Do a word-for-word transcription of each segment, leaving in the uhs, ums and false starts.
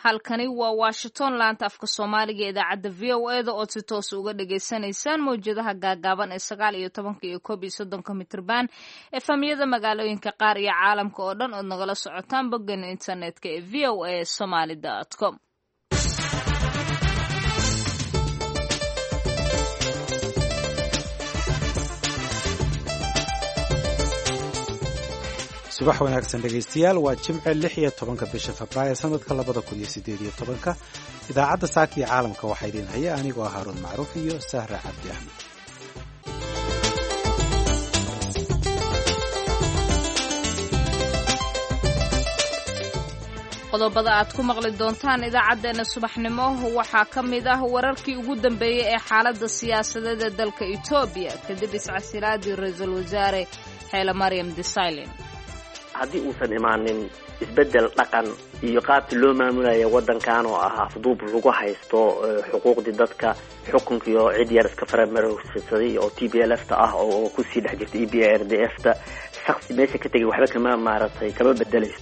Halkani waa Washington, laanta afka Soomaaliga ee idaacadda V O E da ood si toos uga dhagaysanaysaan mawjadaha gaagaaban ee sagaal iyo tobanka iyo koob iyo soddonka mitrban, efamyada magaalooyinka qaar iyo caalamka oo dhan ood nagala socotaan boggeena internetka ee V O A somaly com. Subax wanaagsan dhegaystayaal, waa Jimce, lix iyo tobanka bisha Febraayo sanadka labada kun iyo sideed iyo tobanka. Idaacadda saaka iyo caalamka waxaa idiin haya anigoo ah Haaruun Macruuf iyo Sahra Cabdi Axmed. Qodobada aad ku maqli doontaan idaacaddeenna subaxnimo waxaa ka mid ah wararkii ugu dambeeyey ee xaaladda siyaasadeed ee dalka Etoobiya kadib iscasilaadii ra-iisul wasaare Xeele Maryam Desalegn. Haddii uusan imaanin isbeddel dhaqan iyo qaabkii loo maamulaya waddankan oo ah afduub lagu haysto xuquuqdii dadka, xukunkiio cid yar iska faramarorsaday oo T B L F ta ah oo kusii dhex jirta E B R D F ta, shaksi meesha ka tegay waxba kama maaratay kama bedelayso.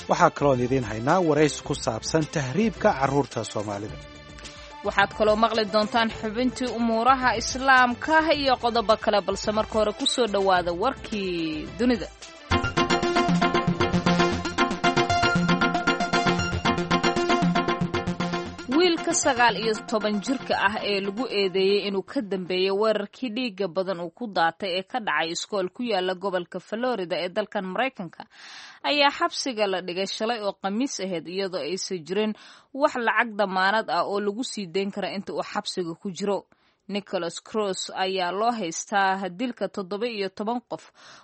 Waxaa kaloon idiin haynaa warays ku saabsan tahriibka carruurta Soomaalida. Waxaad kaloo maqli doontaan xubintii umuuraha islaamka iyo qodobo kale, balse marka hore ku soo dhowaada warkii dunida. Wiilka sagaal iyo toban jirka ah ee lagu eedeeyey inuu ka dambeeyey weerarkii dhiigga badan uu ku daatay ee ka dhacay iskool ku yaala gobolka Florida ee dalkan Maraykanka ayaa xabsiga la dhigay shalay oo Khamiis ahayd, iyadoo aysan jirin wax lacag damaanad ah oo lagu sii dayn kara inta uu xabsiga ku jiro. Nicholas Cross ayaa loo haystaa dilka toddoba iyo toban qof,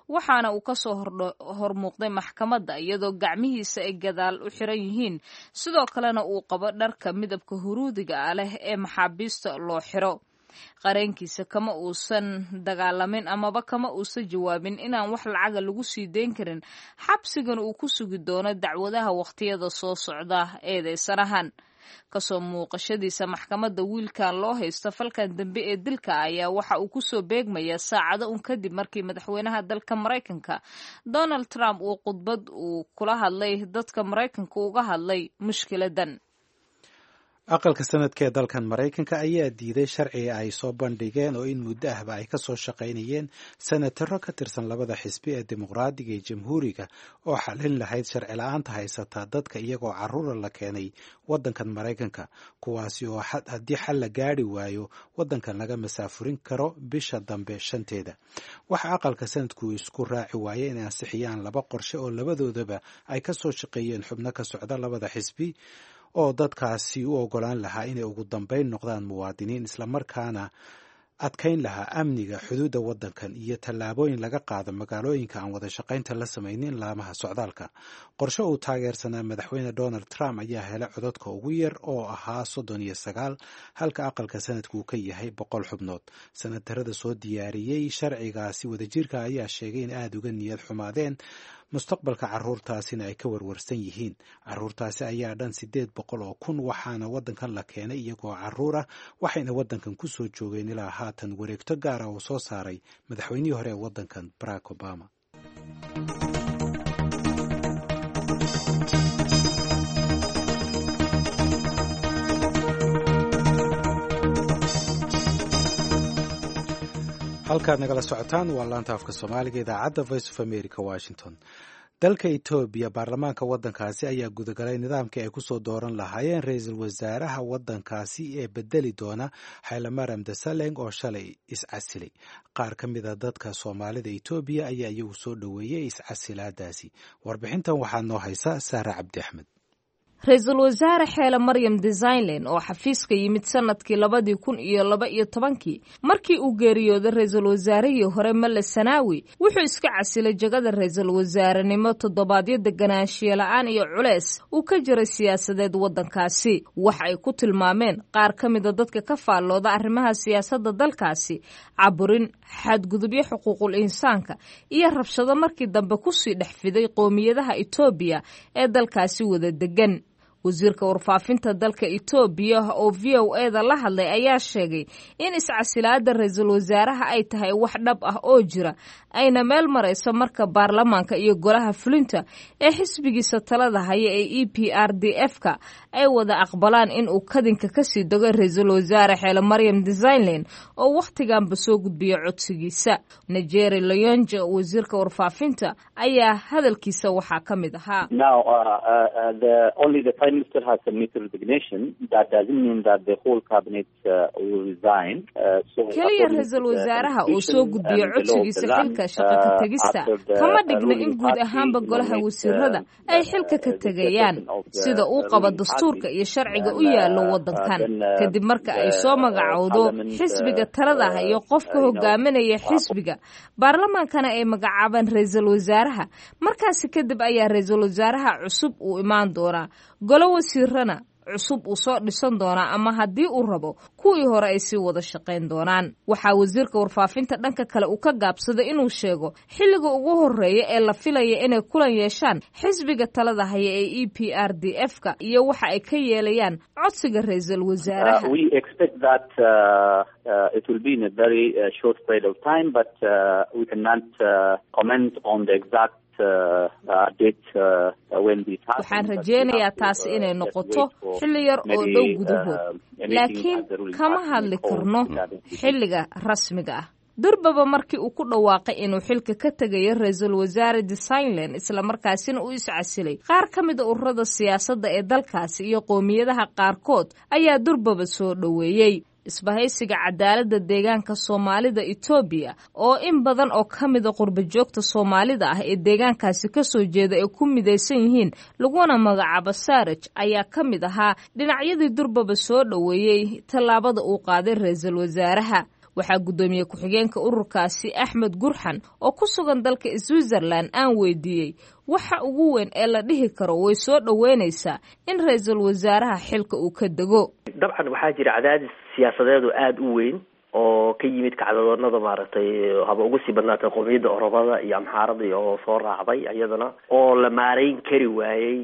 waxaana uu kasoo hormuuqday maxkamadda iyadoo gacmihiisa ay gadaal u xiran yihiin, sidoo kalena uu qabo dharka midabka huruudiga ah leh ee maxaabiista loo xiro. Qareenkiisa kama uusan dagaalamin amaba kama uusan jawaabin inaan wax lacaga lagu sii dayn karin, xabsigana uu ku sugi doono dacwadaha wakhtiyada soo socda eedeysanahan. Kasoo muuqashadiisa maxkamadda wiilkan loo haysto falkan dambe ee dilka ayaa waxa uu kusoo beegmayaa saacado un kadib markii madaxweynaha dalka Maraykanka Donald Trump uu khudbad uu kula hadlay dadka Maraykanka uga hadlay mushkiladan. Aqalka sanadka ee dalkan Maraykanka ayaa diiday sharciga ay soo bandhigeen oo in muddo ahba ay kasoo shaqaynayeen senataro ka tirsan labada xisbi ee Dimuqraadiga iyo Jamhuuriga oo xalin lahayd sharci la-aanta haysataa dadka iyagoo carruura la keenay waddankan Maraykanka, kuwaasi oo haddii xal la gaadhi waayo waddankan laga masaafurin karo bisha dambe shanteeda. Waxa aqalka sanadku isku raaci waaye inay ansixiyaan laba qorshe oo labadoodaba ay kasoo shaqeeyeen xubno ka socda labada xisbi oo dadkaasi u ogolaan lahaa inay ugu dambayn noqdaan muwaadiniin, islamarkaana adkayn lahaa amniga xuduudda waddankan iyo tallaabooyin laga qaado magaalooyinka aan wada shaqaynta la samaynin laamaha socdaalka. Qorshe uu taageersanaa madaxweyne Donald Trump ayaa helay codadka ugu yar oo ahaa soddon iyo sagaal, halka aqalka sanadku uu ka yahay boqol xubnood. Sanatarada soo diyaariyey sharcigaasi wadajirka ayaa sheegay in aada uga niyad xumaadeen mustaqbalka carruurtaasina ay ka warwarsan yihiin. Carruurtaasi ayaa dhan siddeed boqol oo kun, waxaana waddankan la keenay iyagoo carruur ah, waxayna waddankan kusoo joogeen ilaa haatan wareegto gaara uu soo saaray madaxweynihii hore ee waddankan Barack Obama. Halkaad nagala socotaan waa laanta afka Soomaaliga, idaacadda Voice of America, Washington. Dalka Etoobiya, baarlamaanka waddankaasi ayaa gudagalay nidaamkii ay kusoo dooran lahaayeen ra-iisul wasaaraha waddankaasi ee bedeli doona Xaylamaram Desaleng oo shalay iscasilay. Qaar ka mida dadka Soomaalida Etoobiya ayaa iyagu soo dhoweeyey iscasilaadaasi. Warbixintan waxaa noo haysa Sahra Cabdi Axmed. Ra-iisul wasaare Xeele Maryam Desalegn oo xafiiska yimid sanadkii labadii kun iyo laba iyo tobankii markii uu geeriyooday ra-iisul wasaarihii hore Male Sanaawi, wuxuu iska casilay jagada ra-iisul wasaarenimo toddobaadyo deganaanshiye la-aan iyo culees uu ka jiray siyaasadeed waddankaasi. Wax ay ku tilmaameen qaar ka mida dadka ka faallooda arrimaha siyaasadda dalkaasi caburin, xadgudubyo xuquuqul insaanka iyo rabshado markii dambe kusii dhex fiday qoomiyadaha Etoobiya ee dalkaasi wada degan. Wasiirka warfaafinta dalka Itoobiya oo V O E da la hadlay ayaa sheegay in iscasilaada ra-iisul wasaaraha ay tahay wax dhab ah oo jira, ayna meel marayso marka baarlamaanka iyo golaha fulinta ee xisbigiisa talada haya ee E P R D F ka ay wada aqbalaan in uu kadinka kasii dego ra-iisul wasaare Xeele Maryam Desalegn oo wakhtiganba soo gudbiya codsigiisa. Negeri Leyonje, wasiirka warfaafinta, ayaa hadalkiisa waxaa ka mid ahaa: Minister has submitted resignation. That doesn't mean that the whole cabinet uh, will resign. Uh, so Keliya ra-iisul wasaaraha uu soo gudbiyo codsigiisa xilka shaqo ka tegista kama dhigna in guud ahaanba golaha wasiirada ay xilka ka tegayaan. Sida uu qabo dastuurka iyo sharciga u yaallo waddankan, kadib marka ay soo magacowdo xisbiga talada iyo qofka hogaaminaya xisbiga, baarlamaankana ay magacaabaan ra-iisul wasaaraha, markaasi kadib ayaa ra-iisul wasaaraha cusub uu imaan doonaa, golo wasiirana cusub uu soo dhisan doonaa, ama haddii uu rabo kuwii hore ay sii wada shaqayn doonaan. Waxaa wasiirka warfaafinta dhanka kale uu ka gaabsaday inuu sheego xilliga ugu horeeya ee la filaya inay kulan yeeshaan xisbiga talada haya ee E P R D F ka iyo waxa ay ka yeelayaan codsiga ra-iisul wasaaraha. We expect that uh, uh, it will be in a very uh, short period of time, but uh, we cannot uh, comment on the exact Waxaan rajeynayaa taasi inay noqoto xilli yar oo dhow gudahood, laakiin kama hadli karno xilliga rasmiga ah. Durbaba markii uu ku dhawaaqay inuu xilka ka tegayo ra-iisul wasaare Desalegn, islamarkaasina uu iscasilay, qaar ka mida ururada siyaasadda ee dalkaasi iyo qowmiyadaha qaarkood ayaa durbaba soo dhoweeyey. Isbahaysiga Cadaaladda Deegaanka Soomaalida Itoobiya, oo in badan oo ka mida qurba joogta Soomaalida ah ee deegaankaasi kasoo jeeda ay ku midaysan yihiin, laguna magacaabo Saaraj, ayaa ka mid ahaa dhinacyadii durbaba soo dhoweeyey tallaabada uu qaaday ra-iisul wasaaraha. Waxaa guddoomiye ku-xigeenka ururkaasi Axmed Gurxan oo ku sugan dalka Switzerland aan weydiiyey waxa ugu weyn ee la dhihi karo way soo dhoweynaysaa in ra-iisul wasaaraha xilka uu ka dego. Dabcan waxaa jira cadaadis siyaasadeed oo aada u weyn oo ka yimid kacdadoonada, maaragtay, haba ugu sii badnaatay qowmiyadda Oromada iyo Amxaarada oo soo raacday iyadana, oo la maareyn kari waayey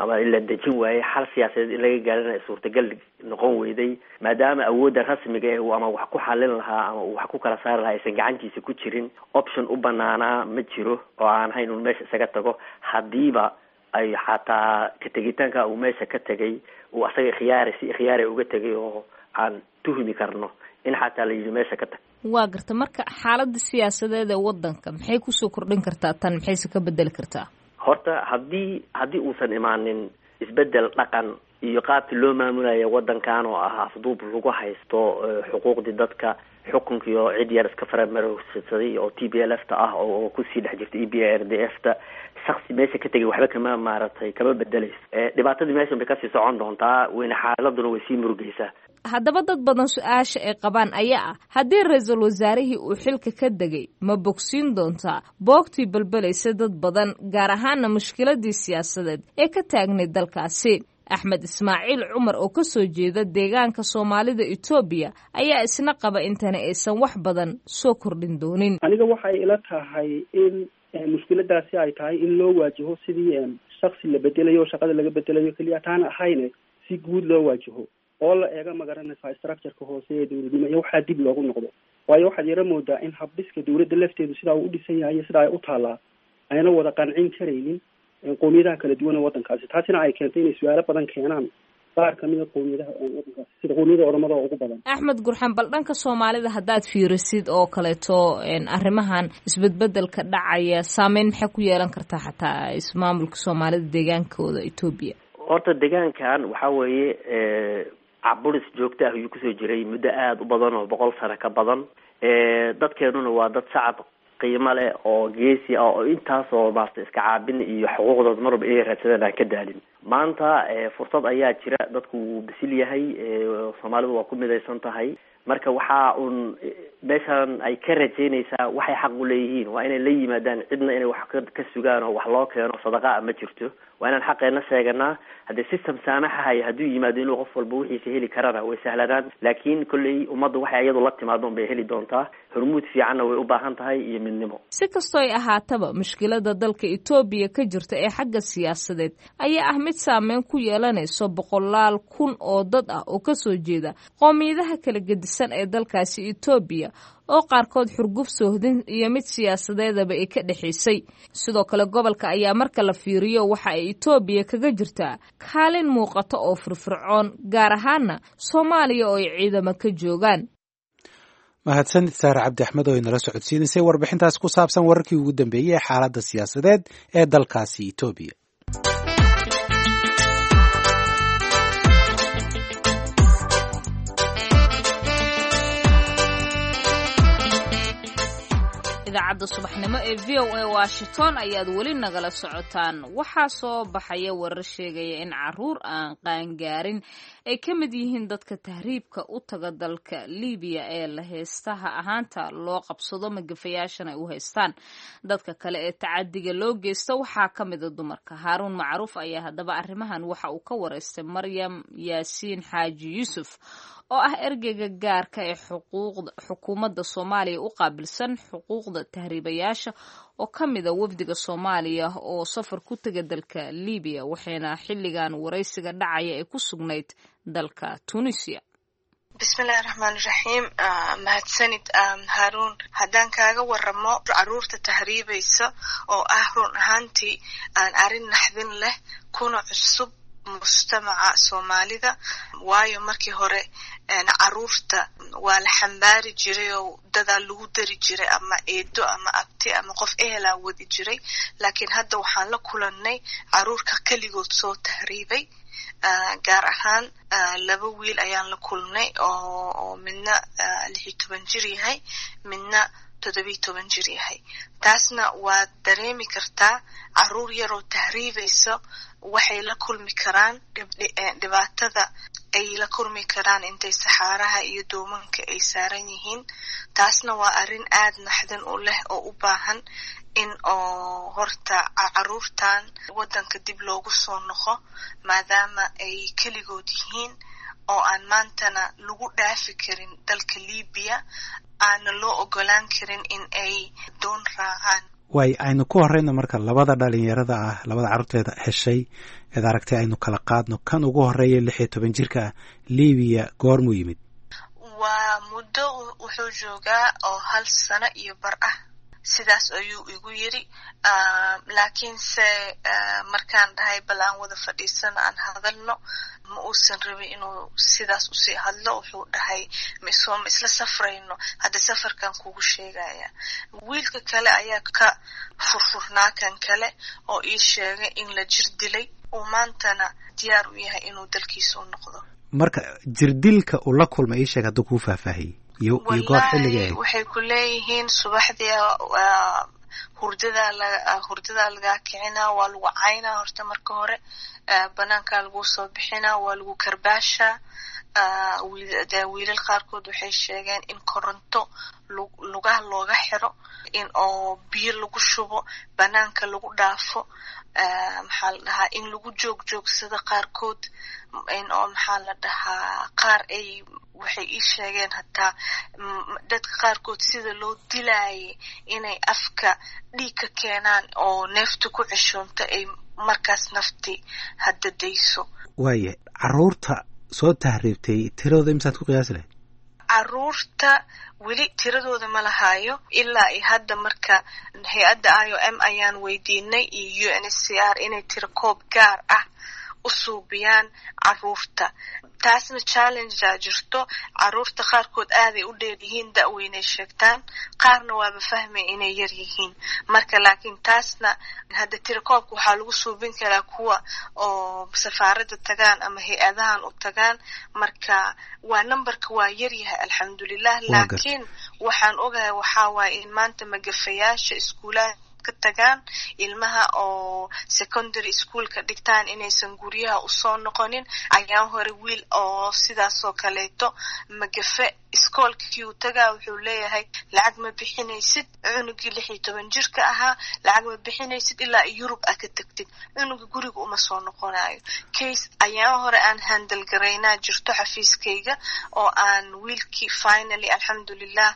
ama la dejin waayey, xal siyaasadeed in laga gaarina suurtagal noqon weyday, maadaama awoodda rasmiga eh ama wax ku xalin lahaa ama uu wax ku kala saari lahaa aysan gacantiisa ku jirin. Option u banaanaa ma jiro oo aan hayn un meesha isaga tago, haddiiba ay xataa ka tegitaanka uu meesha ka tegay uu asaga khiyaari si khiyaari uga tegay oo aan tuhmi karno in xataa la yidhi meesha ka tag. Waa garta. Marka xaaladda siyaasadeed ee waddanka maxay kusoo kordhin kartaa tan, maxayse ka bedeli kartaa? Horta haddii haddii uusan imaanin isbedel dhaqan iyo qaabkii loo maamulaya waddankan oo ah afduub lagu haysto xuquuqdii dadka, xukunkiio cid yar iska faramarogsaday oo T P L F ta ah oo kusii dhex jirta E B R D F ta, shaksi meesha ka tegay waxba kama, maaragtay, kama bedelayso. Dhibaatadii meeshan bay kasii socon doontaa wayna xaaladuna way sii murugaysaa. Haddaba dad badan su-aasha ay qabaan ayaa ah, haddii ra-iisul wasaarihii uu xilka ka degay, ma bogsiin doontaa boogtii balbelaysa dad badan, gaar ahaana mushkiladii siyaasadeed ee ka taagnayd dalkaasi? Axmed Ismaaciil Cumar oo ka soo jeeda deegaanka Soomaalida Itoobiya ayaa isna qaba intani aysan wax badan soo kordhin doonin. Aniga waxay ila tahay in mushkiladaasi ay tahay in loo waajaho sidii shaksi la bedelayo o shaqada laga bedelayo keliya taana ahayne, si guud loo waajaho oo la eega, magaranaysaa, structureka hoose ee dowladnimo iyo waxaa dib loogu noqdo, waayo waxaad yaro moodaa in habdhiska dowladda lafteedu sidaa uu u dhisan yahay iyo sidaa ay u taallaa ayna wada qancin karaynin qowmiyadaha kala duwan ee waddankaasi, taasina ay keentay inay su-aalo badan keenaan qaar kamida qowmiyadaha waddankaasi, sida qowmiyada Oromada oo ugu badan. Axmed Gurxan, bal dhanka Soomaalida haddaad fiirisid oo kaleeto, arrimahan isbedbedelka dhacaya saameyn maxay ku yeelan kartaa xataa ismaamulka Soomaalida deegaankooda Etoobiya? Horta deegaankan waxaa weeye caburis joogto ah ayuu kusoo jiray muddo aada u badan oo boqol sano ka badan. Dadkeenuna waa dad shacab qiimo leh oo geesi ah oo intaasoo, maarata, iska caabin iyo xuquuqdooda marwalba inay raadsadaan aan ka daalin. Maanta fursad ayaa jira, dadku wuu bisil yahay, Soomaalidu waa ku midaysan tahay. Marka waxaa uun meeshan ay ka rajaynaysaa waxay xaq u leeyihiin waa inay la yimaadaan, cidna inay wax ka sugaan oo wax loo keeno sadaqaa ma jirto. Waa inaan xaqeena sheeganaa. Haddii system saamaxahaya hadduu yimaado inuu qof walba wixiisa heli karana way sahlanaan, laakiin kolley ummadda waxay iyadu la timaado unbay heli doontaa. Hormuud fiicanna way u baahan tahay iyo midnimo. Si kastoo ay ahaataba, mushkilada dalka Itoobiya ka jirta ee xagga siyaasadeed ayaa ah mid saameyn ku yeelanayso boqolaal kun oo dad ah oo kasoo jeeda qoomiyadaha kala gedisan ee dalkaasi Itoobiya, oo qaarkood xurguf soohdin iyo mid siyaasadeedaba ay ka dhexaysay. Sidoo kale gobolka ayaa marka la fiiriyo waxa ay Itoobiya kaga jirtaa kaalin muuqata oo firfircoon, gaar ahaana Soomaaliya oo ay ciidamo ka joogaan. Mahadsanid Saare Cabdi Axmed oo inala socodsiinaysay warbixintaas ku saabsan wararkii ugu dambeeyey ee xaaladda siyaasadeed ee dalkaasi Itoobiya. Idaacadda subaxnimo ee V O A Washington ayaad weli nagala socotaan. Waxaa soo baxaya warar sheegaya in caruur aan qaangaarin ay ka mid yihiin dadka tahriibka u taga dalka Libiya ee la heestaha ahaanta loo qabsado, magafayaashana ay u haystaan. Dadka kale ee tacadiga loo geysta waxaa ka mida dumarka. Haaruun Macruuf ayaa haddaba arrimahan waxa uu ka wareystay Maryam Yaasiin Xaaji Yuusuf oo ah ergeyga gaarka ee xuquuqda xukuumadda Soomaaliya u qaabilsan xuquuqda tahriibayaasha, oo ka mida wafdiga Soomaaliya oo safar ku tega dalka Libiya, waxayna xilligan waraysiga dhacaya ay ku sugnayd dalka Tunisia. Bismillahi raxmaani raxiim. Mahadsanid, Haaruun. Haddaan kaaga waramo caruurta tahriibaysa oo ah run ahaantii aan arrin naxdin leh kuna cusub mujtamaca Soomaalida, waayo markii hore caruurta waa la xambaari jiray oo dadaa lagu dari jiray, ama eedo ama abti ama qof ehelaa wadi jiray, laakiin hadda waxaan la kulannay caruurka keligood soo tahriibay. Gaar ahaan laba wiil ayaan la kulnay oo midna lix iyo toban jir yahay, midna toddobiyo toban jir yahay. Taasna waad dareemi kartaa, caruur yaroo tahriibayso waxay la kulmi karaan dhibaatada ay la kulmi karaan intay saxaaraha iyo doomanka ay saaran yihiin. Taasna waa arrin aad naxdin u leh oo u baahan in oo horta caruurtan waddanka dib loogu soo noqo, maadaama ay keligood yihiin oo aan maantana lagu dhaafi karin dalka Libiya, aana loo ogolaan karin in ay doon raacaan. Waay, aynu ku horeyna marka labada dhalinyarada ah, labada carruurteeda heshay eed aragtay, aynu kala qaadno. Kan ugu horeeya lix iyo toban jirka ah Libiya goormuu yimid? Waa muddo wuxuu joogaa oo hal sano iyo bar ah, sidaas ayuu igu yiri. Laakiinse markaan dhahay bal aan wada fadhiisano aan hadalno, ma uusan rabin inuu sidaas usii hadlo. Wuxuu dhahay misoo ma isla safrayno, hadda safarkan kugu sheegaya. Wiilka kale ayaa ka furfurnaa kan kale oo ii sheegay in la jir dilay, uu maantana diyaar u yahay inuu dalkiisa u noqdo. Marka jirdilka uu la kulmay ii sheeg hadduu kuu faahfaahiyey iyo iyo goor xilliga ahayd. Waxay ku leeyihiin subaxdii hurdadaa la hurdadaa lagaa kicinaa, waa lagu caynaa horta marka hore, banaankaa laguu soo bixinaa, waa lagu karbaashaa. Wiilal qaarkood waxay sheegeen in koronto lugaha looga xiro, in oo biyo lagu shubo, banaanka lagu dhaafo, maxaa la dhahaa, in lagu joog joogsado qaarkood, in oo maxaa la dhahaa, qaar ay waxay ii sheegeen hataa dadka qaarkood sida loo dilaayay inay afka dhiig ka keenaan oo neefta ku ceshoonto ay markaas nafti hadda dayso. Waaya, caruurta soo tahriibtay tiradooda imisaad ku qiyaasi lahayd? Caruurta weli tiradooda ma lahaayo ilaa iyo hadda. Marka hay-adda I O M ayaan weydiinay iyo U N S C R inay tiro koob gaar ah u suubiyaan caruurta. Taasna challengea jirto, caruurta qaarkood aaday u dheer yihiin, da-weynay sheegtaan, qaarna waaba fahmay inay yar yihiin. Marka laakiin taasna hadda tirakoobka waxaa lagu suubin karaa kuwa oo safaaradda tagaan ama hay-adahan u tagaan. Marka waa numberka waa yaryahay, alxamdulilah. Laakiin waxaan ogahay waxaa waaye in maanta magafayaasha iskuulaha ka tagaan ilmaha oo secondary schoolka dhigtaan inaysan guryaha usoo noqonin. Ayaan hore wiil oo sidaasoo kaleeto magafe Iskoolkii uu tagaa wuxuu leeyahay lacag ma bixinaysid. Cunugii lix iyo toban jirka ahaa lacag ma bixinaysid ilaa Yurub a ka tagtid. Cunuga guriga uma soo noqonayo. Case ayaan hore aan handle garaynaa jirto xafiiskayga oo aan wiilkii finally alxamdulilah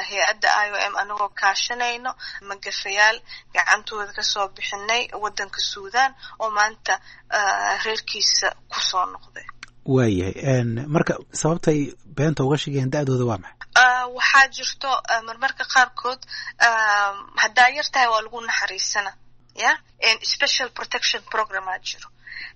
hay-adda I O M anagoo kaashanayno magafayaal gacantooda kasoo bixinay wadanka Suudaan oo maanta reerkiisa kusoo noqday. Waayahay, marka sababtay beenta uga sheegayaan da-dooda waa maxay? Waxaa jirto marmarka qaarkood haddaa yar tahay waa lagu naxariisana, ya special protection programaa jiro.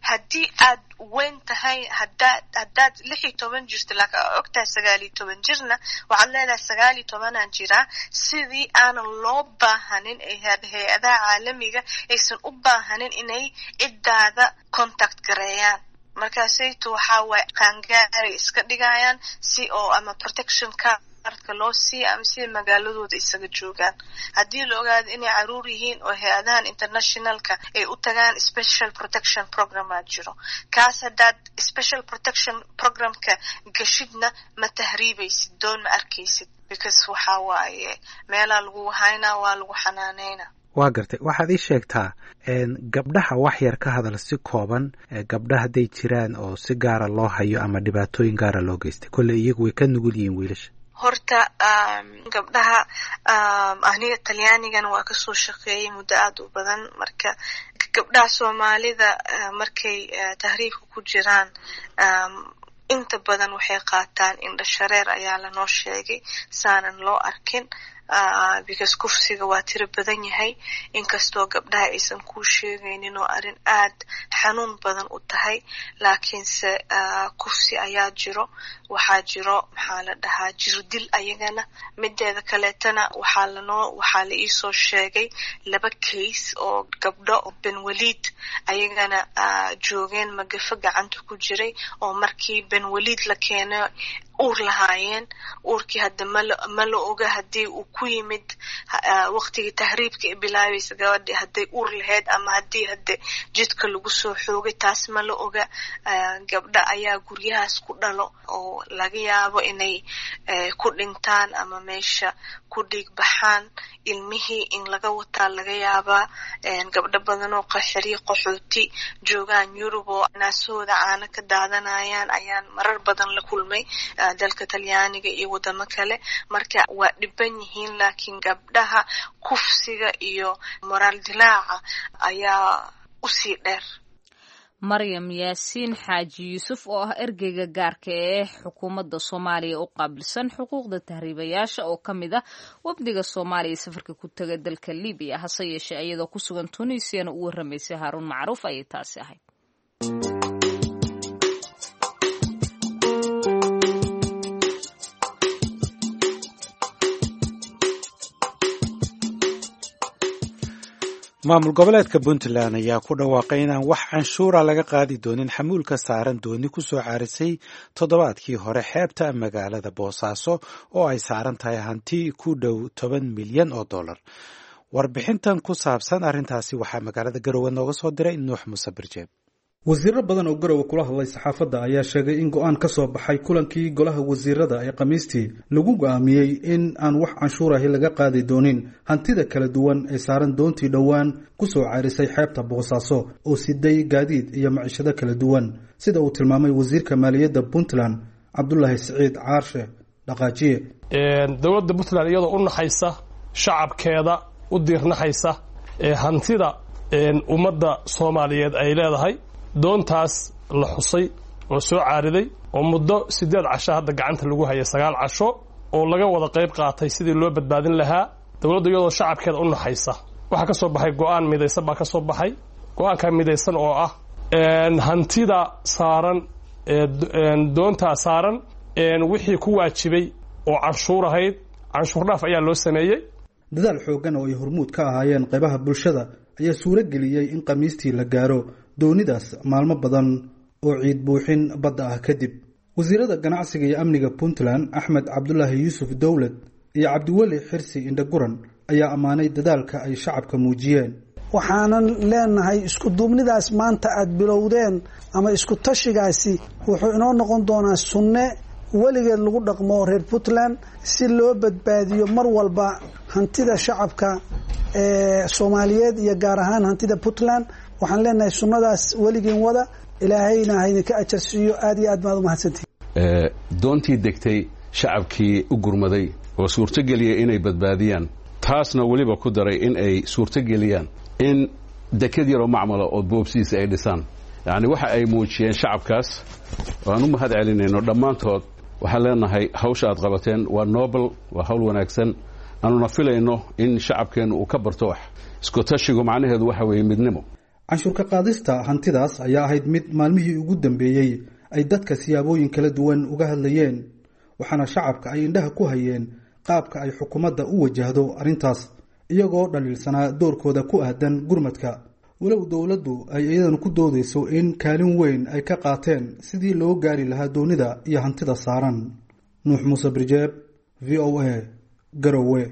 Haddii aad weyn tahay, hadaa haddaad lix iyo toban jirto laakiin aa og tahay sagaal iyo toban jirna, waxaad leedahay sagaal iyo tobanaan jiraa, sidii aanan loo baahanin hay-adaha caalamiga aysan u baahanin inay ciddaada contact gareeyaan. Markaasayto waxaa waaye qaangaaray iska dhigayaan si oo ama protection cardka loo siiya ama sida magaaladooda isaga joogaan. Haddii la ogaado inay caruur yihiin oo hay-adahan internationalka ay u tagaan, special protection programaa jiro. Kaas haddaad special protection programka gashidna ma tahriibaysid, doon ma arkaysid, because waxaa waaye meelaa lagu haynaa, waa lagu xanaaneynaa. Waa gartay. Waxaad ii sheegtaa gabdhaha, wax yar ka hadal si kooban, gabdha hadday jiraan oo si gaara loo hayo ama dhibaatooyin gaara loo geystay. Kolley iyagu way ka nugul yihiin wiilasha. Horta gabdhaha, aniga Talyaanigana waa kasoo shaqeeyay muddo aada u badan. Marka gabdhaha Soomaalida markay tahriibka ku jiraan inta badan waxay qaataan indha shareer ayaa lanoo sheegay saanan loo arkin, because kufsiga waa tiro badan yahay, inkastoo gabdhaha aysan kuu sheegaynin oo arrin aad xanuun badan u tahay, laakiinse kufsi ayaa jiro. Waxaa jiro maxaa la dhahaa jirdil ayagana. Mideeda kaleetana waxaa lanoo waxaa la iisoo sheegay laba case oo gabdho Benwaliid ayagana joogeen magafo gacanta ku jiray oo markii Benwaliid la keenay uur lahaayeen. Uurkii hadda mal ma la oga haddii uu ku yimid waqtigii tahriibka ay bilaabaysa gabadhi hadday uur lahayd ama haddii hadde jidka lagu soo xoogay, taas ma la oga. Gabdha ayaa guryahaas ku dhalo oo laga yaabo inay ku dhintaan ama meesha ku dhiig baxaan, ilmihii in laga wataa laga yaabaa. Gabdho badan oo qaxiri qaxooti joogaan Yurub oo naasahooda caano ka daadanayaan ayaan marar badan la kulmay dalka Talyaaniga iyo wadamo kale. Marka waa dhiban yihiin, laakiin gabdhaha kufsiga iyo moraal dilaaca ayaa usii dheer. Maryam Yaasiin Xaaji Yuusuf oo ah ergeyga gaarka ee xukuumadda Soomaaliya u qaabilsan xuquuqda tahriibayaasha oo ka mid ah wafdiga Soomaaliya safarka ku taga dalka Libiya, hase yeeshee iyadoo ku sugan Tunisiyana u warramaysay Haaruun Macruuf ayay taasi ahayd. Maamul goboleedka Puntland ayaa ku dhawaaqay inaan wax canshuura laga qaadi doonin xamuulka saaran dooni ku soo caarisay toddobaadkii hore xeebta magaalada Boosaaso oo ay saaran tahay hanti ku dhow toban milyan oo dollar. Warbixintan ku saabsan arrintaasi waxaa magaalada Garowe nooga soo diray Nuux Muuse Birjeeb. Wasiiro badan oo Garowe kula hadlay saxaafadda ayaa sheegay in go-aan ka soo baxay kulankii golaha wasiirada ee Khamiistii lagu go'aamiyey in aan wax canshuur ahi laga qaadi doonin hantida kala duwan ee saaran doontii dhowaan ku soo caarisay xeebta Boosaaso oo siday gaadiid iyo maciishado kala duwan, sida uu tilmaamay wasiirka maaliyadda Puntland Cabdulaahi Siciid Caarshe Dhaqaajiye. Dowladda Puntland iyadoo u naxaysa shacabkeeda, u diirnaxaysa ee hantida ummadda Soomaaliyeed ay leedahay, doontaas la xusay oo soo caariday oo muddo siddeed casho hadda gacanta lagu hayay, sagaal casho oo laga wada qayb qaatay sidii loo badbaadin lahaa, dowladdu iyadoo shacabkeeda u naxaysa waxaa ka soo baxay go-aan midaysan baa ka soo baxay. Go-aankaa midaysan oo ah hantida saaran doontaa saaran wixii ku waajibay oo canshuur ahayd, canshuur dhaaf ayaa loo sameeyey. Dadaal xooggan oo ay hormuud ka ahaayeen qaybaha bulshada ayaa suuro geliyey in Khamiistii la gaaro doonidaas maalmo badan oo ciid buuxin badda ah kadib. Wasiirada ganacsiga iyo amniga Puntland Axmed Cabdulaahi Yuusuf Dowlad iyo Cabdiweli Xirsi Indhaguran ayaa ammaanay dadaalka ay shacabka muujiyeen. Waxaanan leenahay isku duubnidaas maanta aad bilowdeen ama isku tashigaasi wuxuu inoo noqon doonaa sunne weligeed lagu dhaqmo reer Puntland si loo badbaadiyo mar walba hantida shacabka ee Soomaaliyeed iyo gaar ahaan hantida Puntland. Waxaan leenahay sunnadaas weligeen wada, ilaahayna ha idinka ajar siiyo. Aad iyo aad baad u mahadsantihiin. Doontii degtay shacabkii u gurmaday oo suurtogeliyay inay badbaadiyaan, taasna weliba ku daray in ay suurtogeliyaan in dekad yaroo macmala oo boobsiisa ay dhisaan. Yacni waxa ay muujiyeen shacabkaas aan u mahad celinayno dhammaantood. Waxaan leenahay hawsha aad qabateen waa nobel, waa hawl wanaagsan, aanuna filayno in shacabkeennu uu ka barto wax. Isku tashigu macnaheedu waxa weeye midnimo. Canshuur ka qaadista hantidaas ayaa ahayd mid maalmihii ugu dambeeyey ay dadka siyaabooyin kala duwan uga hadlayeen, waxaana shacabka ay indhaha ku hayeen qaabka ay xukuumadda u wajahdo arrintaas, iyagoo dhaliilsanaa doorkooda ku aadan gurmadka, walow dowladdu ay iyadana ku doodayso in kaalin weyn ay ka qaateen sidii loo gaari lahaa doonida iyo hantida saaran. Nuux Muuse Birjeeb, V O A, Garowe.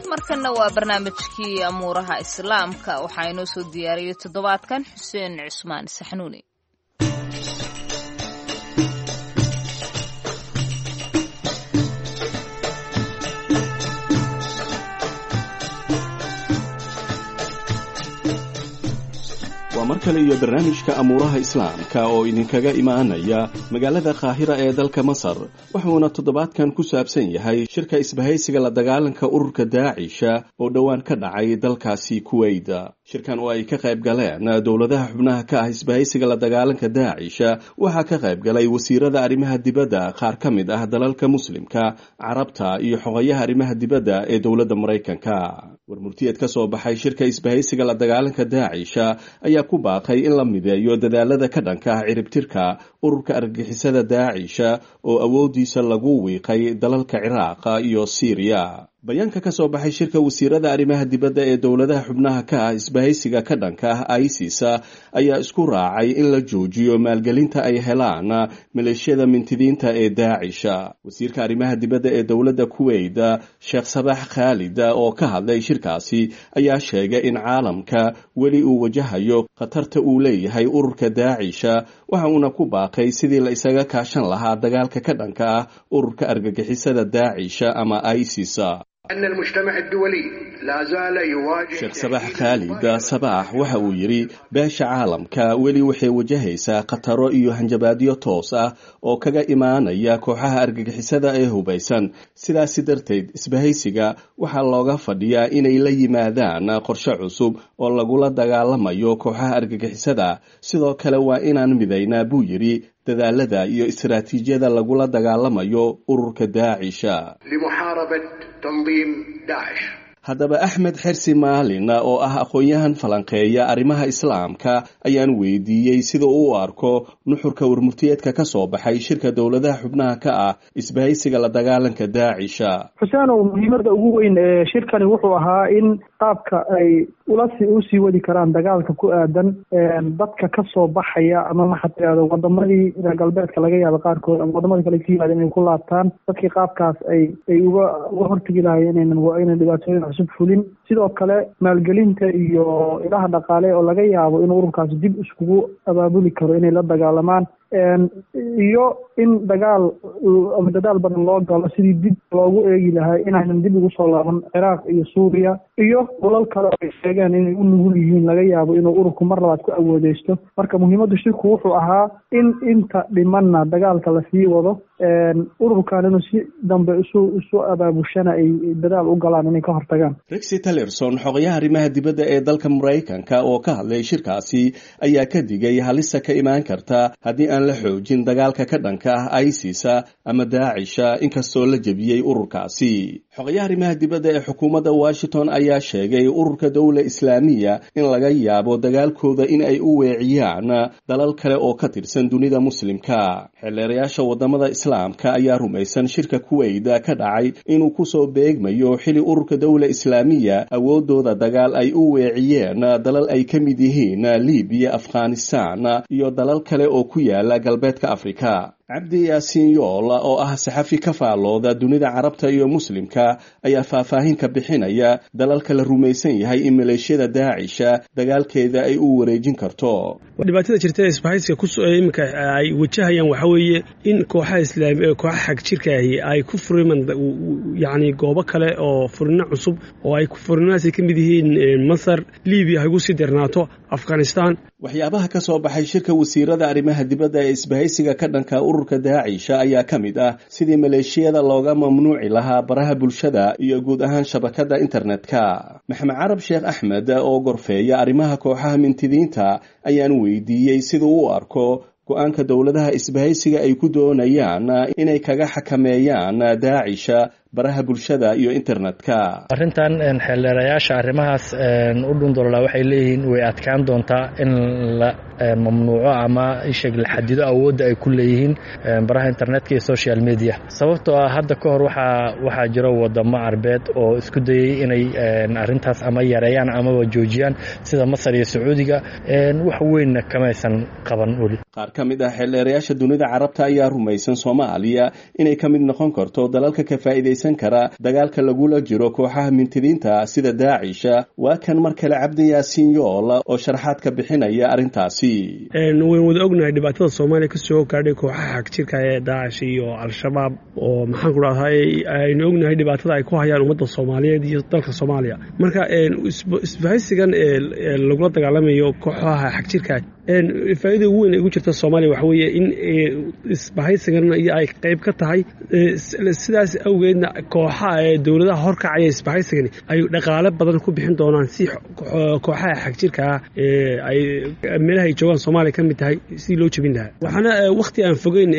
Markana waa barnaamijkii amuuraha islaamka, waxaa inoo soo diyaariyey toddobaadkan Xuseen Cusmaan Saxnuuni. Waa mar kale iyo barnaamijka amuuraha islaamka oo idinkaga imaanaya magaalada Qaahira ee dalka Masar. Wuxuuna toddobaadkan ku saabsan yahay shirka isbahaysiga la dagaalanka ururka Daacisha oo dhowaan ka dhacay dalkaasi Kuweyda. Shirkan oo ay ka qayb galeen dowladaha xubnaha ka ah isbahaysiga la dagaalanka Daacisha waxaa ka qayb galay wasiirada arrimaha dibadda qaar ka mid ah dalalka muslimka, Carabta iyo xogayaha arrimaha dibadda ee dowladda Maraykanka. Warmurtiyeed ka soo baxay shirka isbahaysiga la dagaalanka Daacisha ayaa ku baaqay in la mideeyo dadaalada ka dhanka ah ciribtirka ururka argagixisada Daacisha oo awoodiisa lagu wiiqay dalalka Ciraaqa iyo Siiriya. Bayaanka ka soo baxay shirka wasiirada arrimaha dibadda ee dowladaha xubnaha ka ah isbahaysiga ka dhanka ah ISIS ayaa isku raacay in la joojiyo maalgelinta ay helaan maleeshiyada mintidiinta ee Daacisha. Wasiirka arrimaha dibadda ee dowladda Kuweyt, Sheekh Sabax Khaalid, oo ka hadlay shirkaasi ayaa sheegay in caalamka weli uu wajahayo khatarta uu leeyahay ururka Daacisha, waxa uuna ku baaqay sidii la isaga kaashan lahaa dagaalka ka dhanka ah ururka argagixisada Daacisha ama ISIS. Sheekh Sabax Khaalid Sabax waxa uu yidhi beesha caalamka weli waxay wajahaysaa khataro iyo hanjabaadyo toos ah oo kaga imaanaya kooxaha argagixisada ee hubaysan. Sidaasi darteed isbahaysiga waxaa looga fadhiyaa inay la yimaadaan qorshe cusub oo lagula dagaalamayo kooxaha argagixisada. Sidoo kale waa inaan midaynaa, buu yidhi, dadaalada iyo istaraatiijiyada lagula dagaalamayo ururka Daacisha. Haddaba Axmed Xersi Maalin oo ah aqoon-yahan falanqeeya arrimaha islaamka ayaan weydiiyey sida uu u arko nuxurka warmurtiyeedka ka soo baxay shirka dowladaha xubnaha ka ah isbahaysiga la dagaalanka Daacisha. Xuseenow, muhiimadda ugu weyn ee shirkani wuxuu ahaa in qaabka ay ulasi usii wadi karaan dagaalka ku aadan dadka ka soo baxaya ama maxaa tirahdo wadamadii reer galbeedka laga yaabo qaarkood ama wadamadii kale ka yimaadeen inay ku laabtaan dadkii, qaabkaas ay ay uga uga hortegi lahayen inaynan inay dhibaatooyin cusub fulin. Sidoo kale maalgelinta iyo ilaha dhaqaale oo laga yaabo inuu ururkaasi dib iskugu abaabuli karo inay la dagaalamaan, iyo in dagaal ama dadaal badan loo galo sidii dib loogu eegi lahaa inaynan dib ugu soo laaban Ciraaq iyo Suuriya iyo dhulal kale oo ay sheegeen inay u nugul yihiin, laga yaabo inuu ururku mar labaad ku awoodeysto. Marka muhiimaddu shirku wuxuu ahaa in inta dhimanna dagaalka lasii wado, ururkan inuu si dambe isu isu abaabushana ay dadaal u galaan inay ka hortagaan. Rexy Tillerson, xogayaha arrimaha dibadda ee dalka Maraykanka oo ka hadlay shirkaasi ayaa ka digay halista ka imaan karta haddii aan la xoojin dagaalka ka dhanka ah ISIS ama Daacisha, inkastoo la jebiyey ururkaasi. Xogayaha arrimaha dibadda ee xukuumadda Washington ayaa sheegay ururka Dowla Islaamiya in laga yaabo dagaalkooda in ay u weeciyaan dalal kale oo ka tirsan dunida muslimka. Xeelleerayaasha wadamada islaamka ayaa rumaysan shirka Kuweyda ka dhacay inuu kusoo beegmayo xili ururka Dowla Islaamiya awoodooda dagaal ay u weeciyeen dalal ay ka mid yihiin Libiya, Afghanistan iyo dalal kale oo ku yaala galbeedka Afrika. Cabdi Yaasiin Yool oo ah saxafi ka faallooda dunida Carabta iyo Muslimka ayaa faahfaahin ka bixinaya dalalka la rumaysan yahay in maleeshiyada Daacisha dagaalkeeda ay u wareejin karto. Dhibaatada jirta ee isbahaysiga ku iminka ay wajahayaan waxaa weeye in kooxaha islaami kooxaha xagjirka ahi ay ku furiman yacni goobo kale oo furino cusub oo ay furinahaasi ka mid yihiin Masar, Liibiya ha ugu sii darnaato, Afghanistan. Waxyaabaha ka soo baxay shirka wasiirada arrimaha dibadda ee isbahaysiga ka dhanka ururka Daacisha ayaa ka mid ah sidii maleeshiyada looga mamnuuci lahaa baraha bulshada iyo guud ahaan shabakadda internetka. Maxamed Carab Sheekh Axmed oo gorfeeya arrimaha kooxaha mintidiinta ayaan weydiiyey siduu u arko go'aanka dowladaha isbahaysiga ay ku doonayaan inay kaga xakameeyaan Daacisha baraha bulshada iyo internetka. Arrintan xeeldheerayaasha arrimahaas u dhundololaa waxay leeyihiin way adkaan doontaa in la mamnuuco ama isheeg la xadido awoodda ay ku leeyihiin baraha internetka iyo social media, sababtoo ah hadda ka hor waxaa waxaa jiro wadamo Carbeed oo isku dayey inay arrintaas ama yareeyaan amaba joojiyaan, sida Masar iyo Sacuudiga, wax weynna kamaysan qaban weli. Qaar ka mid ah xeeldheerayaasha dunida Carabta ayaa rumaysan Soomaaliya inay ka mid noqon karto dalalka ka faa'iidaysan kara dagaalka lagula jiro kooxaha mintidiinta sida Daacisha. Waa kan mar kale Cabdi Yaasiin Yool oo sharaxaad ka bixinaya arrintaasi. Waynu wada ognahay dhibaatada Soomaaliya kasoo gaadhay kooxaha xagjirka ee Daacish iyo Al-Shabaab, oo maxaan ku dhahay aynu ognahay dhibaatada ay ku hayaan ummadda Soomaaliyeed iyo dalka Soomaaliya. Marka isbahaysigan lagula dagaalamayo kooxaha xagjirka, faa'iidada ugu weyn ee ugu jirta Soomaaliya waxa weeye in isbahaysigan iyo ay qayb ka tahay, sidaas awgeedna kooxaha ee dowladaha horkacaya isbahaysigani ay dhaqaale badan ku bixin doonaan si kooxaha xagjirka ah ay meelaha ay joogaan Soomaaliya ka mid tahay sidii loo jebin lahaa. Waxaana wakhti aan fogeyn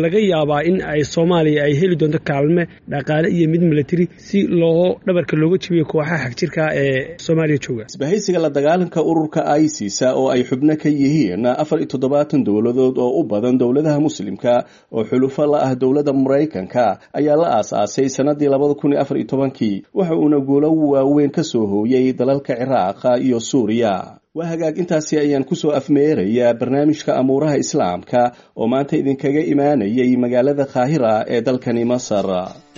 laga yaabaa in ay Soomaaliya ay heli doonto kaalme dhaqaale iyo mid military si loo dhabarka looga jebiyo kooxaha xagjirka ee Soomaaliya jooga. Isbahaysiga la dagaalanka ururka ISIS oo ay xubno ka yihiin afar iyo toddobaatan dowladood oo u badan dowladaha Muslimka oo xulufo la ah dowladda Maraykanka ayaa la aasaasay sanadii labada kun iyo afar iyo tobankii, waxa uuna guulo waaweyn ka soo hooyey dalalka Ciraaq iyo Suuriya. Waa hagaag, intaasi ayaan kusoo afmeerayaa barnaamijka Amuuraha Islaamka oo maanta idinkaga imaanayay magaalada Qaahira ee dalkani Masar.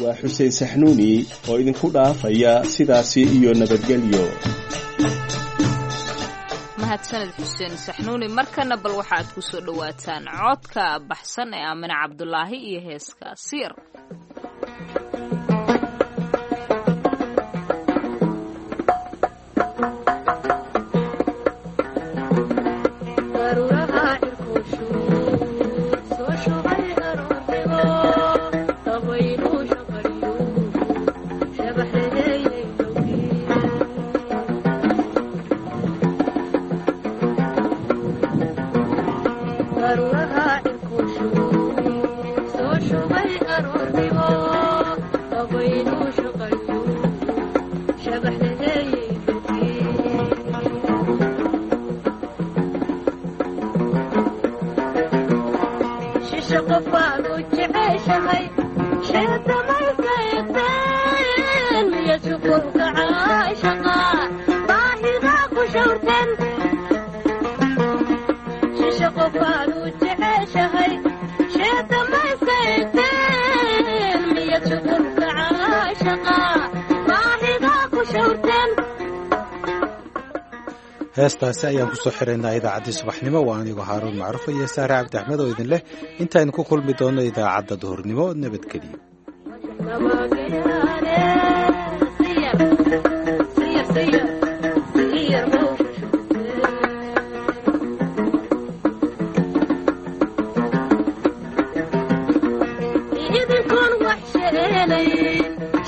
Waa Xuseen Saxnuuni oo idinku dhaafaya sidaasi iyo nabadgelyo. Mahadsaned Xuseen Saxnuuni. Markana bal waxaad ku soo dhowaataan codka baxsan ee Aamine Cabdulaahi iyo heeska Siir. Heestaasi ayaan kusoo xiraynaa idaacaddii subaxnimo. Waa anigoo Haaruun Macruuf iyo Saare Cabdi Axmed oo idin leh intaynu ku kulmi doonno idaacadda duhurnimo, nabadgeliyo.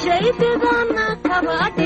Shaytidana kabadhi.